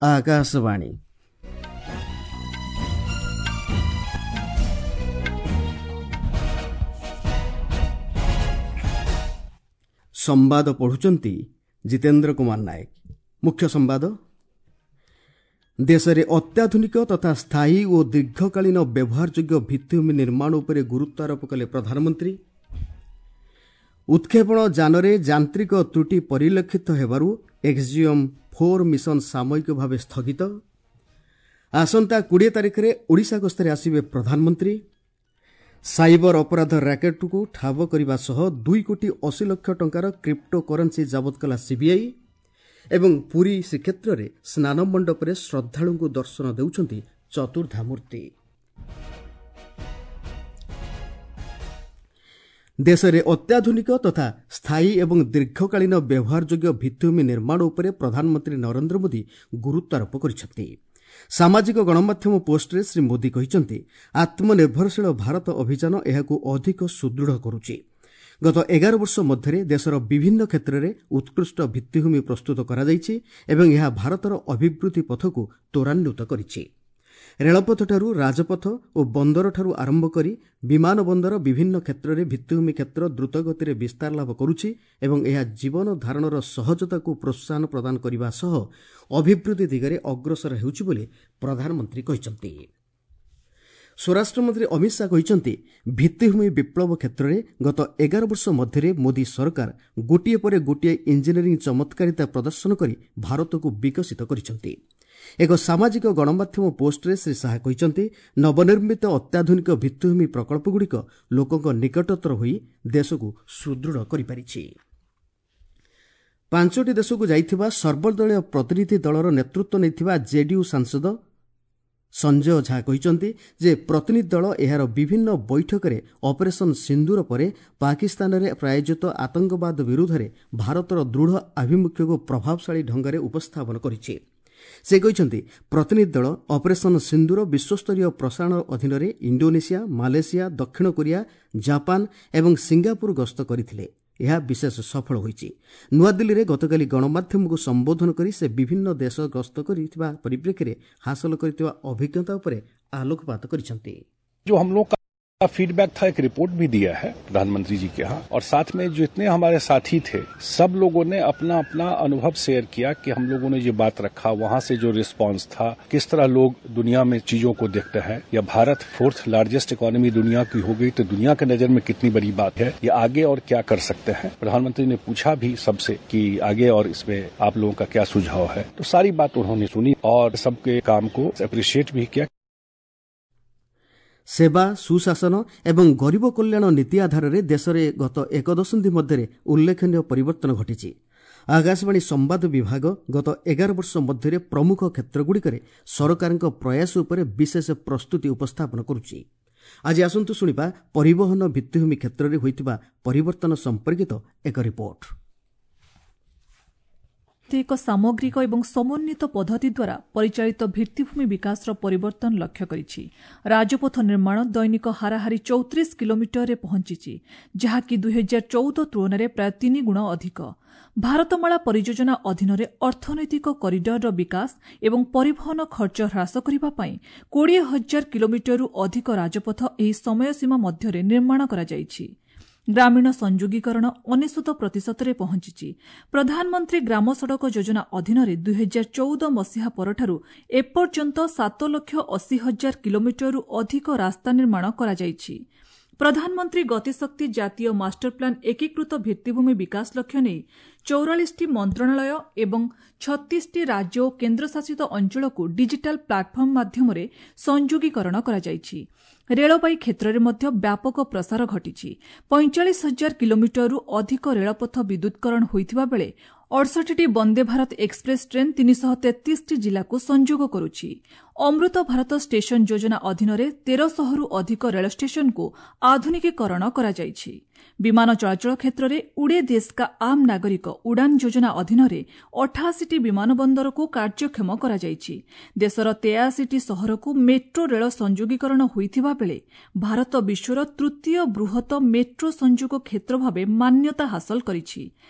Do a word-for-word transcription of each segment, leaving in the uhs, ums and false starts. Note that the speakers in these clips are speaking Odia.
ଆକାଶବାଣୀ। ସମ୍ବାଦ ପଢୁଛନ୍ତି ଜିତେନ୍ଦ୍ର କୁମାର ନାୟକ। ମୁଖ୍ୟ ସମ୍ବାଦ। ଦେଶରେ ଅତ୍ୟାଧୁନିକ ତଥା ସ୍ଥାୟୀ ଓ ଦୀର୍ଘକାଳୀନ ବ୍ୟବହାରଯୋଗ୍ୟ ଭିତ୍ତିଭୂମି ନିର୍ମାଣ ଉପରେ ଗୁରୁତ୍ୱ ଆରୋପ କଲେ ପ୍ରଧାନମନ୍ତ୍ରୀ। ଉତ୍କ୍ଷେପଣ ଯାନରେ ଯାନ୍ତ୍ରିକ ତ୍ରୁଟି ପରିଲକ୍ଷିତ ହେବାରୁ ଏକ୍ଜିୟମ୍ ଫୋର୍ ମିଶନ ସାମୟିକ ଭାବେ ସ୍ଥଗିତ। ଆସନ୍ତା କୋଡ଼ିଏ ତାରିଖରେ ଓଡ଼ିଶା ଗସ୍ତରେ ଆସିବେ ପ୍ରଧାନମନ୍ତ୍ରୀ। ସାଇବର ଅପରାଧ ର୍ୟାକେଟ୍କୁ ଠାବ କରିବା ସହ ଦୁଇ କୋଟି ଅଶୀ ଲକ୍ଷ ଟଙ୍କାର କ୍ରିପ୍ଟୋ କରେନ୍ସି ଜବତ କଲା ସିବିଆଇ। ଏବଂ ପୁରୀ ଶ୍ରୀକ୍ଷେତ୍ରରେ ସ୍ନାନ ମଣ୍ଡପରେ ଶ୍ରଦ୍ଧାଳୁଙ୍କୁ ଦର୍ଶନ ଦେଉଛନ୍ତି ଚତୁର୍ଦ୍ଧାମୂର୍ତ୍ତି। ଦେଶରେ ଅତ୍ୟାଧୁନିକ ତଥା ସ୍ଥାୟୀ ଏବଂ ଦୀର୍ଘକାଳୀନ ବ୍ୟବହାରଯୋଗ୍ୟ ଭିତ୍ତିଭୂମି ନିର୍ମାଣ ଉପରେ ପ୍ରଧାନମନ୍ତ୍ରୀ ନରେନ୍ଦ୍ର ମୋଦି ଗୁରୁତ୍ୱାରୋପ କରିଛନ୍ତି। ସାମାଜିକ ଗଣମାଧ୍ୟମ ପୋଷ୍ଟରେ ଶ୍ରୀ ମୋଦି କହିଛନ୍ତି, ଆତ୍ମନିର୍ଭରଶୀଳ ଭାରତ ଅଭିଯାନ ଏହାକୁ ଅଧିକ ସୁଦୃଢ଼ କରୁଛି। ଗତ ଏଗାର ବର୍ଷ ମଧ୍ୟରେ ଦେଶର ବିଭିନ୍ନ କ୍ଷେତ୍ରରେ ଉତ୍କୃଷ୍ଟ ଭିତ୍ତିଭୂମି ପ୍ରସ୍ତୁତ କରାଯାଇଛି ଏବଂ ଏହା ଭାରତର ଅଭିବୃଦ୍ଧି ପଥକୁ ତ୍ୱରାନ୍ୱିତ କରିଛି। ରେଳପଥଠାରୁ ରାଜପଥ ଓ ବନ୍ଦରଠାରୁ ଆରମ୍ଭ କରି ବିମାନ ବନ୍ଦର ବିଭିନ୍ନ କ୍ଷେତ୍ରରେ ଭିତ୍ତିଭୂମି କ୍ଷେତ୍ର ଦ୍ରୁତଗତିରେ ବିସ୍ତାର ଲାଭ କରୁଛି ଏବଂ ଏହା ଜୀବନ ଧାରଣର ସହଜତାକୁ ପ୍ରୋତ୍ସାହନ ପ୍ରଦାନ କରିବା ସହ ଅଭିବୃଦ୍ଧି ଦିଗରେ ଅଗ୍ରସର ହେଉଛି ବୋଲି ପ୍ରଧାନମନ୍ତ୍ରୀ କହିଛନ୍ତି। ସ୍ୱରାଷ୍ଟ୍ରମନ୍ତ୍ରୀ ଅମିତ ଶାହା କହିଛନ୍ତି, ଭିତ୍ତିଭୂମି ବିପ୍ଳବ କ୍ଷେତ୍ରରେ ଗତ ଏଗାର ବର୍ଷ ମଧ୍ୟରେ ମୋଦି ସରକାର ଗୋଟିଏ ପରେ ଗୋଟିଏ ଇଞ୍ଜିନିୟରିଂ ଚମତ୍କାରିତା ପ୍ରଦର୍ଶନ କରି ଭାରତକୁ ବିକଶିତ କରିଛନ୍ତି। ଏକ ସାମାଜିକ ଗଣମାଧ୍ୟମ ପୋଷ୍ଟରେ ଶ୍ରୀ ଶାହା କହିଛନ୍ତି, ନବନିର୍ମିତ ଅତ୍ୟାଧୁନିକ ଭିତ୍ତିଭୂମି ପ୍ରକଳ୍ପଗୁଡ଼ିକ ଲୋକଙ୍କ ନିକଟତର ହୋଇ ଦେଶକୁ ସୁଦୃଢ଼ କରିପାରିଛି। ପାଞ୍ଚଟି ଦେଶକୁ ଯାଇଥିବା ସର୍ବଦଳୀୟ ପ୍ରତିନିଧି ଦଳର ନେତୃତ୍ୱ ନେଇଥିବା ଜେଡିୟୁ ସାଂସଦ ସଞ୍ଜୟ ଝା କହିଛନ୍ତି ଯେ ପ୍ରତିନିଧି ଦଳ ଏହାର ବିଭିନ୍ନ ବୈଠକରେ ଅପରେସନ୍ ସିନ୍ଦୁର ପରେ ପାକିସ୍ତାନରେ ପ୍ରାୟୋଜିତ ଆତଙ୍କବାଦ ବିରୁଦ୍ଧରେ ଭାରତର ଦୃଢ଼ ଆଭିମୁଖ୍ୟକୁ ପ୍ରଭାବଶାଳୀ ଢଙ୍ଗରେ ଉପସ୍ଥାପନ କରିଛି। ସେ କହିଛନ୍ତି, ପ୍ରତିନିଧି ଦଳ ଅପରେସନ୍ ସିନ୍ଦୁର ବିଶ୍ୱସ୍ତରୀୟ ପ୍ରସାରଣ ଅଧୀନରେ ଇଣ୍ଡୋନେସିଆ, ମାଲେସିଆ, ଦକ୍ଷିଣ କୋରିଆ, ଜାପାନ ଏବଂ ସିଙ୍ଗାପୁର ଗସ୍ତ କରିଥିଲେ। ଏହା ବିଶେଷ ସଫଳ ହୋଇଛି। ନୂଆଦିଲ୍ଲୀରେ ଗତକାଲି ଗଣମାଧ୍ୟମକୁ ସମ୍ବୋଧନ କରି ସେ ବିଭିନ୍ନ ଦେଶ ଗସ୍ତ କରିଥିବା ପରିପ୍ରେକ୍ଷୀରେ ହାସଲ କରିଥିବା ଅଭିଜ୍ଞତା ଉପରେ ଆଲୋକପାତ କରିଛନ୍ତି। जो हम लोग का फीडबैक था, एक रिपोर्ट भी दिया है प्रधानमंत्री जी के यहाँ, और साथ में जितने हमारे साथी थे सब लोगों ने अपना अपना अनुभव शेयर किया कि हम लोगों ने ये बात रखा, वहां से जो रिस्पांस था, किस तरह लोग दुनिया में चीजों को देखते हैं, या भारत फोर्थ लार्जेस्ट इकोनॉमी दुनिया की हो गई तो दुनिया के नजर में कितनी बड़ी बात है, या आगे और क्या कर सकते हैं। प्रधानमंत्री ने पूछा भी सबसे कि आगे और इसमें आप लोगों का क्या सुझाव है, तो सारी बात उन्होंने सुनी और सबके काम को अप्रिशिएट भी किया। ସେବା, ସୁଶାସନ ଏବଂ ଗରିବ କଲ୍ୟାଣ ନୀତି ଆଧାରରେ ଦେଶରେ ଗତ ଏକ ଦଶନ୍ଧି ମଧ୍ୟରେ ଉଲ୍ଲେଖନୀୟ ପରିବର୍ତ୍ତନ ଘଟିଛି। ଆକାଶବାଣୀ ସମ୍ବାଦ ବିଭାଗ ଗତ ଏଗାର ବର୍ଷ ମଧ୍ୟରେ ପ୍ରମୁଖ କ୍ଷେତ୍ରଗୁଡ଼ିକରେ ସରକାରଙ୍କ ପ୍ରୟାସ ଉପରେ ବିଶେଷ ପ୍ରସ୍ତୁତି ଉପସ୍ଥାପନ କରୁଛି। ଆଜି ଆସନ୍ତୁ ଶୁଣିବା ପରିବହନ ଭିତ୍ତିଭୂମି କ୍ଷେତ୍ରରେ ହୋଇଥିବା ପରିବର୍ତ୍ତନ ସମ୍ପର୍କିତ ଏକ ରିପୋର୍ଟ। ଏକ ସାମଗ୍ରିକ ଏବଂ ସମନ୍ୱିତ ପଦ୍ଧତି ଦ୍ୱାରା ପରିଚାଳିତ ଭିତ୍ତିଭୂମି ବିକାଶର ପରିବର୍ତ୍ତନ ଲକ୍ଷ୍ୟ କରିଛି। ରାଜପଥ ନିର୍ମାଣ ଦୈନିକ ହାରାହାରି ଚଉତିରିଶ କିଲୋମିଟରରେ ପହଞ୍ଚିଛି, ଯାହାକି ଦୁଇହଜାର ଚଉଦ ତୁଳନାରେ ପ୍ରାୟ ତିନି ଗୁଣ ଅଧିକ। ଭାରତମାଳା ପରିଯୋଜନା ଅଧୀନରେ ଅର୍ଥନୈତିକ କରିଡରର ବିକାଶ ଏବଂ ପରିବହନ ଖର୍ଚ୍ଚ ହ୍ରାସ କରିବା ପାଇଁ କୋଡ଼ିଏ ହଜାର କିଲୋମିଟରରୁ ଅଧିକ ରାଜପଥ ଏହି ସମୟସୀମା ମଧ୍ୟରେ ନିର୍ମାଣ କରାଯାଇଛି। ଗ୍ରାମୀଣ ସଂଯୋଗୀକରଣ ଅନେଶତ ପ୍ରତିଶତରେ ପହଞ୍ଚିଛି। ପ୍ରଧାନମନ୍ତ୍ରୀ ଗ୍ରାମ ସଡ଼କ ଯୋଜନା ଅଧୀନରେ ଦୁଇହଜାର ଚଉଦ ମସିହା ପରଠାରୁ ଏପର୍ଯ୍ୟନ୍ତ ସାତ ଲକ୍ଷ ଅଶୀ ହଜାର କିଲୋମିଟରରୁ ଅଧିକ ରାସ୍ତା ନିର୍ମାଣ କରାଯାଇଛି। ପ୍ରଧାନମନ୍ତ୍ରୀ ଗତିଶକ୍ତି ଜାତୀୟ ମାଷ୍ଟରପ୍ଲାନ୍ ଏକୀକୃତ ଭିତ୍ତିଭୂମି ବିକାଶ ଲକ୍ଷ୍ୟ ନେଇ ଚଉରାଳିଶଟି ମନ୍ତ୍ରଣାଳୟ ଏବଂ ଛତିଶଟି ରାଜ୍ୟ ଓ କେନ୍ଦ୍ରଶାସିତ ଅଞ୍ଚଳକୁ ଡିଜିଟାଲ ପ୍ଲାଟଫର୍ମ ମାଧ୍ୟମରେ ସଂଯୋଗୀକରଣ କରାଯାଇଛି। ରେଳବାଇ କ୍ଷେତ୍ରରେ ମଧ୍ୟ ବ୍ୟାପକ ପ୍ରସାର ଘଟିଛି। ପଇଁଚାଳିଶ ହଜାର କିଲୋମିଟରରୁ ଅଧିକ ରେଳପଥ ବିଦ୍ୟୁତ୍କରଣ ହୋଇଥିବା ବେଳେ ଅଡ଼ଷଠିଟି ବନ୍ଦେ ଭାରତ ଏକ୍ସପ୍ରେସ୍ ଟ୍ରେନ୍ ତିନିଶହ ତେତିଶଟି ଜିଲ୍ଲାକୁ ସଂଯୋଗ କରୁଛି। ଅମୃତ ଭାରତ ଷ୍ଟେସନ ଯୋଜନା ଅଧୀନରେ ତେରଶହରୁ ଅଧିକ ରେଳ ଷ୍ଟେସନକୁ ଆଧୁନିକୀକରଣ କରାଯାଇଛି। ବିମାନ ଚଳାଚଳ କ୍ଷେତ୍ରରେ ଉଡ଼େ ଦେଶ କା ଆମ୍ ନାଗରିକ ଉଡ଼ାନ୍ ଯୋଜନା ଅଧୀନରେ ଅଠାଅଶୀଟି ବିମାନ ବନ୍ଦରକୁ କାର୍ଯ୍ୟକ୍ଷମ କରାଯାଇଛି। ଦେଶର ତେୟାଅଶୀଟି ସହରକୁ ମେଟ୍ରୋ ରେଳ ସଂଯୋଗୀକରଣ ହୋଇଥିବା ବେଳେ ଭାରତ ବିଶ୍ୱର ତୃତୀୟ ବୃହତ ମେଟ୍ରୋ ସଂଯୋଗ କ୍ଷେତ୍ର ଭାବେ ମାନ୍ୟତା ହାସଲ କରିଛି।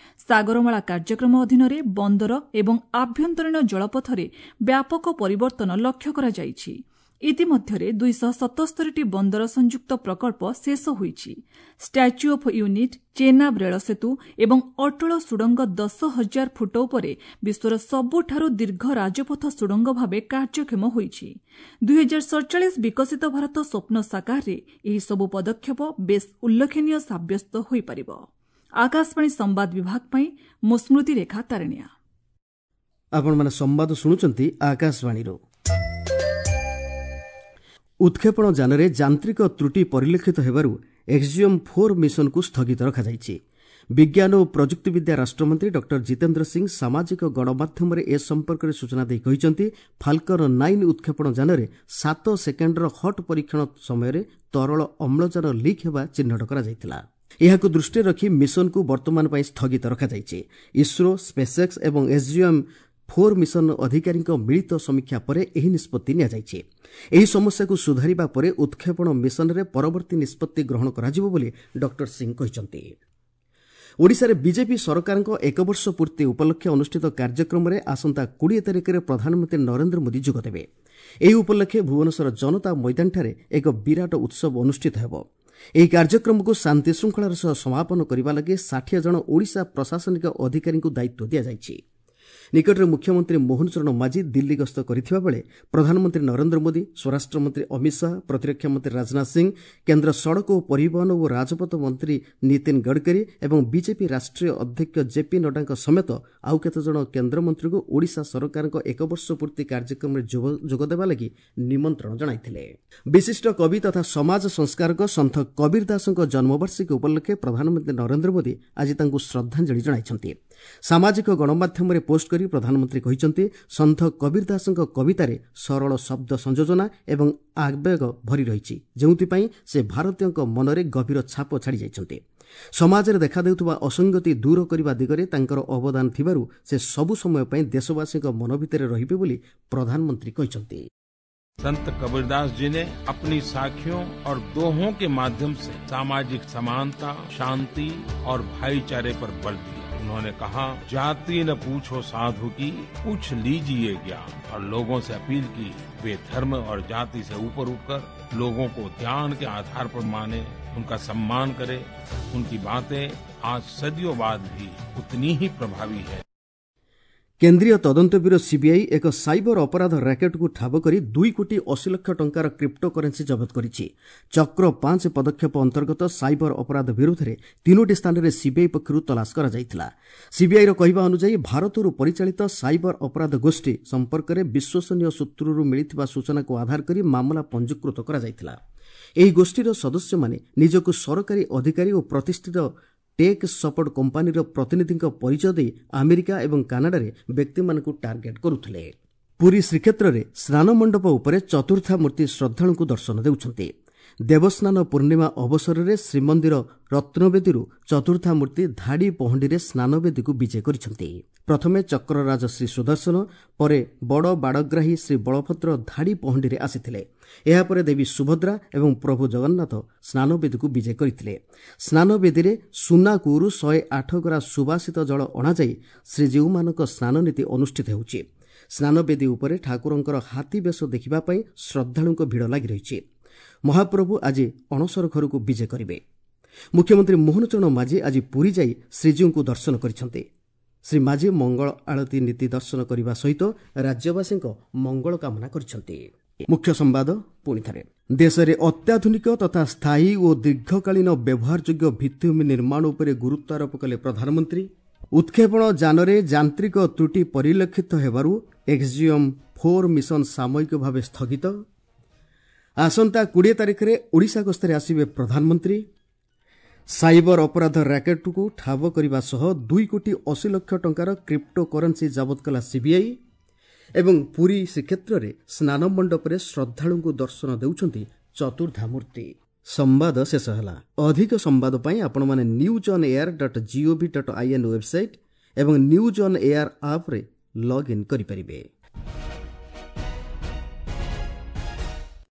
ସାଗରମାଳା କାର୍ଯ୍ୟକ୍ରମ ଅଧୀନରେ ବନ୍ଦର ଏବଂ ଆଭ୍ୟନ୍ତରୀଣ ଜଳପଥରେ ବ୍ୟାପକ ପରିବର୍ତ୍ତନ ଲକ୍ଷ୍ୟ କରାଯାଇଛି। ଇତିମଧ୍ୟରେ ଦୁଇଶହ ସତସ୍ତରୀଟି ବନ୍ଦର ସଂଯୁକ୍ତ ପ୍ରକଳ୍ପ ଶେଷ ହୋଇଛି। ଷ୍ଟାଚ୍ୟୁ ଅଫ୍ ୟୁନିଟ୍, ଚେନାବ ରେଳ ସେତୁ ଏବଂ ଅଟଳ ସୁଡ଼ଙ୍ଗ ଦଶ ହଜାର ଫୁଟ ଉପରେ ବିଶ୍ୱର ସବୁଠାରୁ ଦୀର୍ଘ ରାଜପଥ ସୁଡ଼ଙ୍ଗ ଭାବେ କାର୍ଯ୍ୟକ୍ଷମ ହୋଇଛି। ଦୁଇହଜାର ସଡ଼ଚାଳିଶ ବିକଶିତ ଭାରତ ସ୍ୱପ୍ନ ସାକାରରେ ଏହିସବୁ ପଦକ୍ଷେପ ବେଶ୍ ଉଲ୍ଲେଖନୀୟ ସାବ୍ୟସ୍ତ ହୋଇପାରିବ। ଆକାଶବାଣୀ ସମ୍ବାଦ ବିଭାଗ ପାଇଁ ମୁଁ ସ୍ମୃତିରେଖା ତାରିଣିଆ। ଆପଣମାନେ ସମ୍ବାଦ ଶୁଣୁଛନ୍ତି ଆକାଶବାଣୀରୁ। ଉତ୍କ୍ଷେପଣ ଯାନରେ ଯାନ୍ତ୍ରିକ ତ୍ରୁଟି ପରିଲକ୍ଷିତ ହେବାରୁ ଏକ୍ସିଓମ୍ ଫୋର୍ ମିଶନକୁ ସ୍ଥଗିତ ରଖାଯାଇଛି। ବିଜ୍ଞାନ ଓ ପ୍ରଯୁକ୍ତିବିଦ୍ୟା ରାଷ୍ଟ୍ରମନ୍ତ୍ରୀ ଡକ୍ଟର ଜିତେନ୍ଦ୍ର ସିଂ ସାମାଜିକ ଗଣମାଧ୍ୟମରେ ଏ ସମ୍ପର୍କରେ ସୂଚନା ଦେଇ କହିଛନ୍ତି, ଫାଲକନ୍ ନାଇନ୍ ଉତ୍କ୍ଷେପଣ ଯାନରେ ସାତ ସେକେଣ୍ଡର ହଟ୍ ପରୀକ୍ଷଣ ସମୟରେ ତରଳ ଅମ୍ଳଜାନ ଲିକ୍ ହେବା ଚିହ୍ନଟ କରାଯାଇଥିଲା। ଏହାକୁ ଦୃଷ୍ଟିରେ ରଖି ମିଶନକୁ ବର୍ତ୍ତମାନ ପାଇଁ ସ୍ଥଗିତ ରଖାଯାଇଛି। ଇସ୍ରୋ, ସ୍ପେସ୍ଏକ୍ସ ଏବଂ ଏସ୍ଜିଏମ୍ ଫୋର୍ ମିଶନ ଅଧିକାରୀଙ୍କ ମିଳିତ ସମୀକ୍ଷା ପରେ ଏହି ନିଷ୍ପତ୍ତି ନିଆଯାଇଛି। ଏହି ସମସ୍ୟାକୁ ସୁଧାରିବା ପରେ ଉତ୍କ୍ଷେପଣ ମିଶନରେ ପରବର୍ତ୍ତୀ ନିଷ୍ପତ୍ତି ଗ୍ରହଣ କରାଯିବ ବୋଲି ଡକ୍ଟର ସିଂ କହିଛନ୍ତି। ଓଡ଼ିଶାରେ ବିଜେପି ସରକାରଙ୍କ ଏକବର୍ଷ ପୂର୍ତ୍ତି ଉପଲକ୍ଷେ ଅନୁଷ୍ଠିତ କାର୍ଯ୍ୟକ୍ରମରେ ଆସନ୍ତା କୋଡ଼ିଏ ତାରିଖରେ ପ୍ରଧାନମନ୍ତ୍ରୀ ନରେନ୍ଦ୍ର ମୋଦି ଯୋଗଦେବେ। ଏହି ଉପଲକ୍ଷେ ଭୁବନେଶ୍ୱର ଜନତା ମଇଦାନଠାରେ ଏକ ବିରାଟ ଉତ୍ସବ ଅନୁଷ୍ଠିତ ହେବ। ଏହି କାର୍ଯ୍ୟକ୍ରମକୁ ଶାନ୍ତିଶୃଙ୍ଖଳାର ସହ ସମାପନ କରିବା ଲାଗି ଷାଠିଏ ଜଣ ଓଡ଼ିଶା ପ୍ରଶାସନିକ ଅଧିକାରୀଙ୍କୁ ଦାୟିତ୍ୱ ଦିଆଯାଇଛି। ନିକଟରେ ମୁଖ୍ୟମନ୍ତ୍ରୀ ମୋହନ ଚରଣ ମାଝୀ ଦିଲ୍ଲୀ ଗସ୍ତ କରିଥିବା ବେଳେ ପ୍ରଧାନମନ୍ତ୍ରୀ ନରେନ୍ଦ୍ର ମୋଦି, ସ୍ୱରାଷ୍ଟ୍ରମନ୍ତ୍ରୀ ଅମିତ ଶାହା, ପ୍ରତିରକ୍ଷା ମନ୍ତ୍ରୀ ରାଜନାଥ ସିଂ, କେନ୍ଦ୍ର ସଡ଼କ ଓ ପରିବହନ ଓ ରାଜପଥ ମନ୍ତ୍ରୀ ନୀତିନ ଗଡ଼କରୀ ଏବଂ ବିଜେପି ରାଷ୍ଟ୍ରୀୟ ଅଧ୍ୟକ୍ଷ ଜେପି ନଡ୍ଡାଙ୍କ ସମେତ ଆଉ କେତେଜଣ କେନ୍ଦ୍ରମନ୍ତ୍ରୀଙ୍କୁ ଓଡ଼ିଶା ସରକାରଙ୍କ ଏକବର୍ଷ ପୂର୍ତ୍ତି କାର୍ଯ୍ୟକ୍ରମରେ ଯୋଗଦେବା ଲାଗି ନିମନ୍ତ୍ରଣ ଜଣାଇଥିଲେ। ବିଶିଷ୍ଟ କବି ତଥା ସମାଜ ସଂସ୍କାରକ ସନ୍ଥ କବୀର ଦାସଙ୍କ ଜନ୍ମବାର୍ଷିକୀ ଉପଲକ୍ଷେ ପ୍ରଧାନମନ୍ତ୍ରୀ ନରେନ୍ଦ୍ର ମୋଦି ଆଜି ତାଙ୍କୁ ଶ୍ରଦ୍ଧାଞ୍ଜଳି ଜଣାଇଛନ୍ତି। ସାମାଜିକ ଗଣମାଧ୍ୟମରେ ପୋଷ୍ଟ କରି ପ୍ରଧାନମନ୍ତ୍ରୀ କହିଛନ୍ତି, ସନ୍ଥ କବୀର ଦାସଙ୍କ କବିତାରେ ସରଳ ଶବ୍ଦ ସଂଯୋଜନା ଏବଂ ଆବେଗ ଭରି ରହିଛି, ଯେଉଁଥିପାଇଁ ସେ ଭାରତୀୟଙ୍କ ମନରେ ଗଭୀର ଛାପ ଛାଡ଼ିଯାଇଛନ୍ତି। ସମାଜରେ ଦେଖାଦେଉଥିବା ଅସଙ୍ଗତି ଦୂର କରିବା ଦିଗରେ ତାଙ୍କର ଅବଦାନ ଥିବାରୁ ସେ ସବୁ ସମୟ ପାଇଁ ଦେଶବାସୀଙ୍କ ମନ ଭିତରେ ରହିବେ ବୋଲି ପ୍ରଧାନମନ୍ତ୍ରୀ କହିଛନ୍ତି। संत कबीरदास जी ने अपनी साखियों और दोहों के माध्यम से सामाजिक समानता, शांति और भाईचारे पर बल दिया। उन्होंने कहा, जाति न पूछो साधु की, पूछ लीजिए ज्ञान। और लोगों से अपील की वे धर्म और जाति से ऊपर उठकर लोगों को ज्ञान के आधार पर माने, उनका सम्मान करें। उनकी बातें आज सदियों बाद भी उतनी ही प्रभावी है। କେନ୍ଦ୍ରୀୟ ତଦନ୍ତ ବ୍ୟୁରୋ ସିବିଆଇ ଏକ ସାଇବର ଅପରାଧ ର୍ୟାକେଟ୍କୁ ଠାବ କରି ଦୁଇ କୋଟି ଅଶୀ ଲକ୍ଷ ଟଙ୍କାର କ୍ରିପ୍ଟୋ କରେନ୍ସି ଜବତ କରିଛି। ଚକ୍ର ପାଞ୍ଚ ପଦକ୍ଷେପ ଅନ୍ତର୍ଗତ ସାଇବର ଅପରାଧ ବିରୋଧରେ ତିନୋଟି ସ୍ଥାନରେ ସିବିଆଇ ପକ୍ଷରୁ ତଲାସ କରାଯାଇଥିଲା। ସିବିଆଇର କହିବା ଅନୁଯାୟୀ ଭାରତରୁ ପରିଚାଳିତ ସାଇବର ଅପରାଧ ଗୋଷ୍ଠୀ ସମ୍ପର୍କରେ ବିଶ୍ୱସନୀୟ ସୂତ୍ରରୁ ମିଳିଥିବା ସୂଚନାକୁ ଆଧାର କରି ମାମଲା ପଞ୍ଜୀକୃତ କରାଯାଇଥିଲା। ଏହି ଗୋଷ୍ଠୀର ସଦସ୍ୟମାନେ ନିଜକୁ ସରକାରୀ ଅଧିକାରୀ ଓ ପ୍ରତିଷ୍ଠିତ ଟେକ୍ ସପୋର୍ଟ କମ୍ପାନୀର ପ୍ରତିନିଧିଙ୍କ ପରିଚୟ ଦେଇ ଆମେରିକା ଏବଂ କାନାଡାରେ ବ୍ୟକ୍ତିମାନଙ୍କୁ ଟାର୍ଗେଟ୍ କରୁଥିଲେ। ପୁରୀ ଶ୍ରୀକ୍ଷେତ୍ରରେ ସ୍ନାନମଣ୍ଡପ ଉପରେ ଚତୁର୍ଦ୍ଧା ମୂର୍ତ୍ତି ଶ୍ରଦ୍ଧାଳୁଙ୍କୁ ଦର୍ଶନ ଦେଉଛନ୍ତି। ଦେବସ୍ନାନ ପୂର୍ଣ୍ଣିମା ଅବସରରେ ଶ୍ରୀମନ୍ଦିର ରତ୍ନବେଦୀରୁ ଚତୁର୍ଦ୍ଧା ମୂର୍ତ୍ତି ଧାଡ଼ି ପହଣ୍ଡିରେ ସ୍ନାନବେଦୀକୁ ବିଜେ କରିଛନ୍ତି। ପ୍ରଥମେ ଚକ୍ରରାଜ ଶ୍ରୀ ସୁଦର୍ଶନ, ପରେ ବଡ଼ ବାଡ଼ଗ୍ରାହୀ ଶ୍ରୀ ବଳଭଦ୍ର ଧାଡ଼ି ପହଣ୍ଡିରେ ଆସିଥିଲେ। ଏହାପରେ ଦେବୀ ସୁଭଦ୍ରା ଏବଂ ପ୍ରଭୁ ଜଗନ୍ନାଥ ସ୍ନାନବେଦୀକୁ ବିଜେ କରିଥିଲେ। ସ୍ନାନବେଦୀରେ ସୁନା କୂଅରୁ ଶହେ ଆଠ ଗରା ସୁବାସିତ ଜଳ ଅଣାଯାଇ ଶ୍ରୀଜୀଉମାନଙ୍କ ସ୍ନାନନୀତି ଅନୁଷ୍ଠିତ ହେଉଛି। ସ୍ନାନବେଦୀ ଉପରେ ଠାକୁରଙ୍କର ହାତୀ ବେଶ ଦେଖିବା ପାଇଁ ଶ୍ରଦ୍ଧାଳୁଙ୍କ ଭିଡ଼ ଲାଗି ରହିଛି। ମହାପ୍ରଭୁ ଆଜି ଅଣସର ଘରକୁ ବିଜେ କରିବେ। ମୁଖ୍ୟମନ୍ତ୍ରୀ ମୋହନ ଚରଣ ମାଝୀ ଆଜି ପୁରୀ ଯାଇ ଶ୍ରୀଜୀଉଙ୍କୁ ଦର୍ଶନ କରିଛନ୍ତି। ଶ୍ରୀ ମାଝୀ ମଙ୍ଗଳ ଆଳତୀ ନୀତି ଦର୍ଶନ କରିବା ସହିତ ରାଜ୍ୟବାସୀଙ୍କ ମଙ୍ଗଳ କାମନା କରିଛନ୍ତି। ମୁଖ୍ୟ ସମ୍ବାଦ ପୁଣିଥରେ, ଦେଶରେ ଅତ୍ୟାଧୁନିକ ତଥା ସ୍ଥାୟୀ ଓ ଦୀର୍ଘକାଳୀନ ବ୍ୟବହାରଯୋଗ୍ୟ ଭିତ୍ତିଭୂମି ନିର୍ମାଣ ଉପରେ ଗୁରୁତ୍ୱ ଆରୋପ କଲେ ପ୍ରଧାନମନ୍ତ୍ରୀ। ଉତ୍କ୍ଷେପଣ ଯାନରେ ଯାନ୍ତ୍ରିକ ତ୍ରୁଟି ପରିଲକ୍ଷିତ ହେବାରୁ ଏକ୍ସିଓମ୍ ଫୋର୍ ମିଶନ ସାମୟିକ ଭାବେ ସ୍ଥଗିତ। ଆସନ୍ତା କୋଡ଼ିଏ ତାରିଖରେ ଓଡ଼ିଶା ଗସ୍ତରେ ଆସିବେ ପ୍ରଧାନମନ୍ତ୍ରୀ। ସାଇବର ଅପରାଧ ର୍ୟାକେଟ୍କୁ ଠାବ କରିବା ସହ ଦୁଇ କୋଟି ଅଶୀ ଲକ୍ଷ ଟଙ୍କାର କ୍ରିପ୍ଟୋ କରେନ୍ସି ଜବତ କଲା ସିବିଆଇ। ଏବଂ ପୁରୀ ଶ୍ରୀକ୍ଷେତ୍ରରେ ସ୍ନାନମଣ୍ଡପରେ ଶ୍ରଦ୍ଧାଳୁଙ୍କୁ ଦର୍ଶନ ଦେଉଛନ୍ତି ଚତୁର୍ଦ୍ଧାମୂର୍ତ୍ତି। ସମ୍ବାଦ ଶେଷ ହେଲା। ଅଧିକ ସମ୍ବାଦ ପାଇଁ ଆପଣମାନେ news on air dot gov dot I N website ଏବଂ ନ୍ୟୁଜ୍ ଅନ୍ ଏୟାର ଆପ୍ରେ ଲଗ୍ଇନ୍ କରିପାରିବେ।